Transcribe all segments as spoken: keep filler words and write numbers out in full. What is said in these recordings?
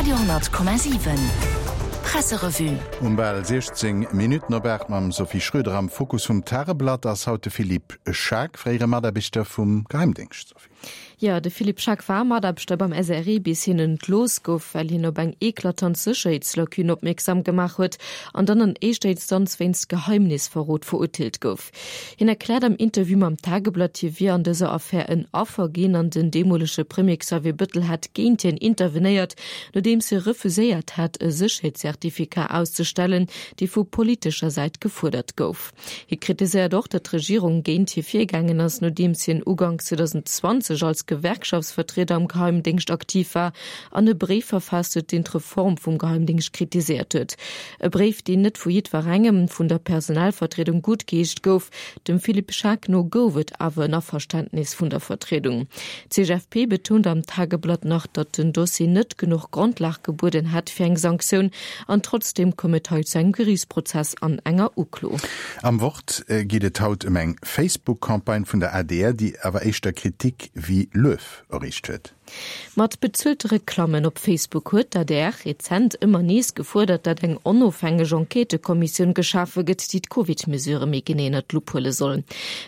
Radio honnert Komma siwen Presserevue. Um bal siechzéng Minutten op aacht mam Sophie Schröder. Am Fokus vum Tageblatt ass haut de Philippe Schaack, fréiere Mataarbechter vum Geheimdéngscht. Sophie. Jo, de Philippe Schaack war Mataarbechter beim S R E bis hien entlooss gouf, well hien op eng eklatant Sécherheetslacune opmierksam gemaach huet an dann an éischter Instanz wéinst Geheimnisverrot verurteelt gouf. Hien erkläert am Interview mam Tageblatt, hie wier an dëser Affär en Affer ginn an den deemolege Premier Xavier Bëttel hätt géint hien intervenéiert, nodeems hie refuséiert hat, e Sécherheetscertificat auszestellen, dee vu politescher Säit gefuerdert gouf. Hie kritiséiert och, datt d'Regierung géint hie virgaangen ass, nodeems hien uganks zweedausendzwanzeg als Gewerkschaftsvertrieder am Geheimdéngscht aktiv war an e Bréif verfaasst huet, deen d'Reform vum Geheimdéngscht kritiséiert huet. E Bréif, deen net vu jiddwerengem vun der Personalvertriedung guttgeheescht gouf. Dem Philippe Schaack no gouf et awer en Averständnis vun der Vertriedung. D'C G F P betount am Tageblatt nach, datt den Dossier net genuch Grondlag gebueden hätt fir eng Sanktioun an trotzdeem koum et hei zu engem Geriichtsprozess an enger Uklo. Am Wort geet et haut ëm eng Facebook-Campagne vun der A D R, déi awer éischter Kritik wéi Luef erreecht huet. Mat bezuelte Reklammen op Facebook huet d'A D R rezent ëmmer nees gefuerdert, datt eng onofhängeg Enquêtëkommissioun geschafe gëtt, déi d'Covid-Mesurë méi genee ënnert d'Lupp huele soll.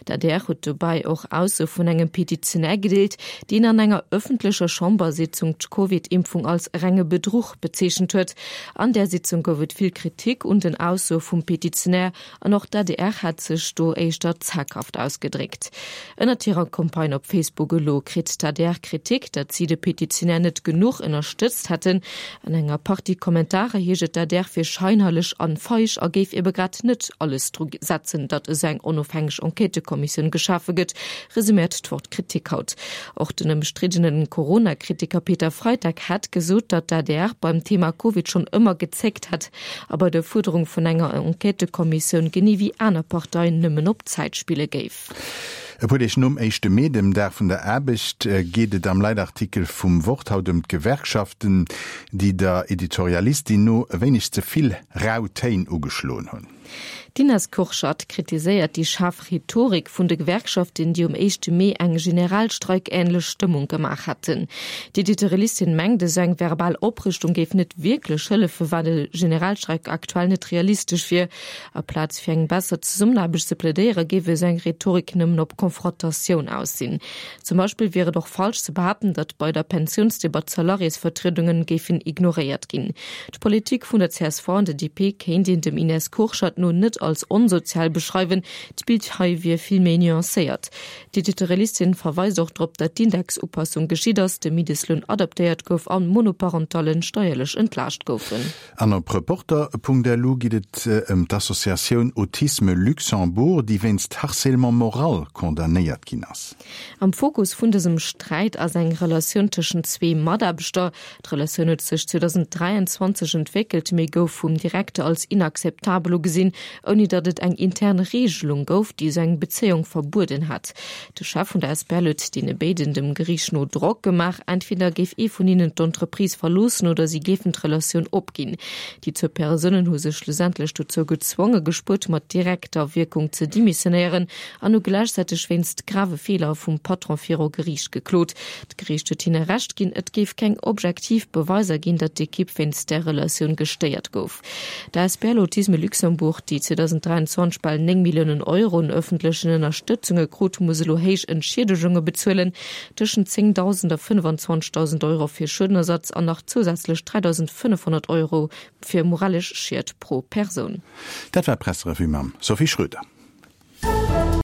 D'A D R huet dobäi och Aussoe vun engem Petitionär gedeelt, deen an enger ëffentlecher Chambersitzung d'Covid-Impfung als renge Bedruch bezeechent huet. An där Sitzung gouf et vill Kritik un den Aussoe vum Petitionär an och d'A D R hat sech do éischter zaghaft ausgedréckt. Ënnert hirer Campagne op Facebook elo kritt d'A D R Kritik, datt si de Petitionär net genuch ënnerstëtzt hätten. An enger Partie Kommentarer heescht et, d'A D R wier scheinhelleg an feig a géif ebe grad net alles dru setzen, datt esou eng onofhängeg Enquêtëkommissioun geschafe gëtt, resuméiert d'Wort Kritik haut. Och den ëmstriddene Corona-Kritiker Peter Freitag hätt gesot, datt d'A D R beim Thema Covid schonn ëmmer gezéckt hätt a bei der Fuerderung vun enger Enquêtëkommissioun genee wéi aner Parteien nëmmen op Zäit spille géif. E puer Deeg nom éischte Mee, dem Dag vun der Aarbecht, geet et am Leitartikel vum Wort haut ëm d'Gewerkschaften, déi der Editorialistin no e wéineg ze vill rau Téin ugeschloen hunn. D'Ines Kurschat kritiséiert déi schaarf Rhetorik vun de Gewerkschaften, déi um éischte Mee eng generalstreikähnlech Stëmmung gemaach hätten. D'Editorialistin mengt, esou eng verbal Oprüstung géif net wierklech hëllefen, well e Generalstreik aktuell net realistesch wier. Aplaz fir eng besser Zesummenaarbecht ze plädéieren, géif esou eng Rhetorik nëmmen op Konfrontatioun aus sinn. Zum Beispill wier et och falsch ze behaapten, datt bei der Pensiounsdebatt d'Salariésvertriedungen géifen ignoréiert ginn. D'Politik vun der C S V an der D P kéint een dem Ines Kurschat no net als onsozial beschreiwen, d'Bild hei wier vill méi nuancéiert. D'Editorialistin verweist och drop, datt d'Indexupassung geschitt ass, de Mindestloun adaptéiert gouf an Monoparentallen steierlech entlaascht goufen. An op Reporter Punkt L U geet et ëm d'Associatioun Autisme Luxembourg, déi wéinst Harcèlement moral condamnéiert ginn ass. Am Fokus vun dësem Sträit ass eng Relatioun tëschent zwee Mataarbechter. D'Relatioun huet sech zweedausend dräianzwanzeg entwéckelt, mee gouf vum Direkter als inakzeptabel ugesinn, ouni datt et eng intern Reegelung gouf, déi esou eng Bezéiung verbueden hätt. De Chef vun der A S B L huet deene béiden dem Geriicht no Drock gemaach, entweder géif ee vun hinnen d'Entreprise verloossen oder si géifen d'Relatioun opginn. Déi zwou Persounen hu sech schlussendlech dozou gezwonge gespuert, mat direkter Wierkung ze demissionéieren an hu gläichzäiteg wéinst grave Feeler vum Patron viru Geriicht geklot. D'Geriicht huet hinne Recht ginn, et géif keng objektiv Beweiser ginn, datt d'Ekipp wéinst där Relatioun gestéiert gouf. D'A S B L Autisme Luxembourg, déi zweedausend dräianzwanzeg bal néng Milliounen Euro un ëffentlechen Ënnerstëtzunge krut, muss elo héich Entschiedegunge bezuelen, tëschent zéngdausend a fënnefanzwanzegdausend Euro fir Schuedenersatz an nach zousätzlech dräidausendfënnefhonnert Euro fir moralesch Schied pro Persoun. Dat war d'Presserevue mam Sophie Schröder.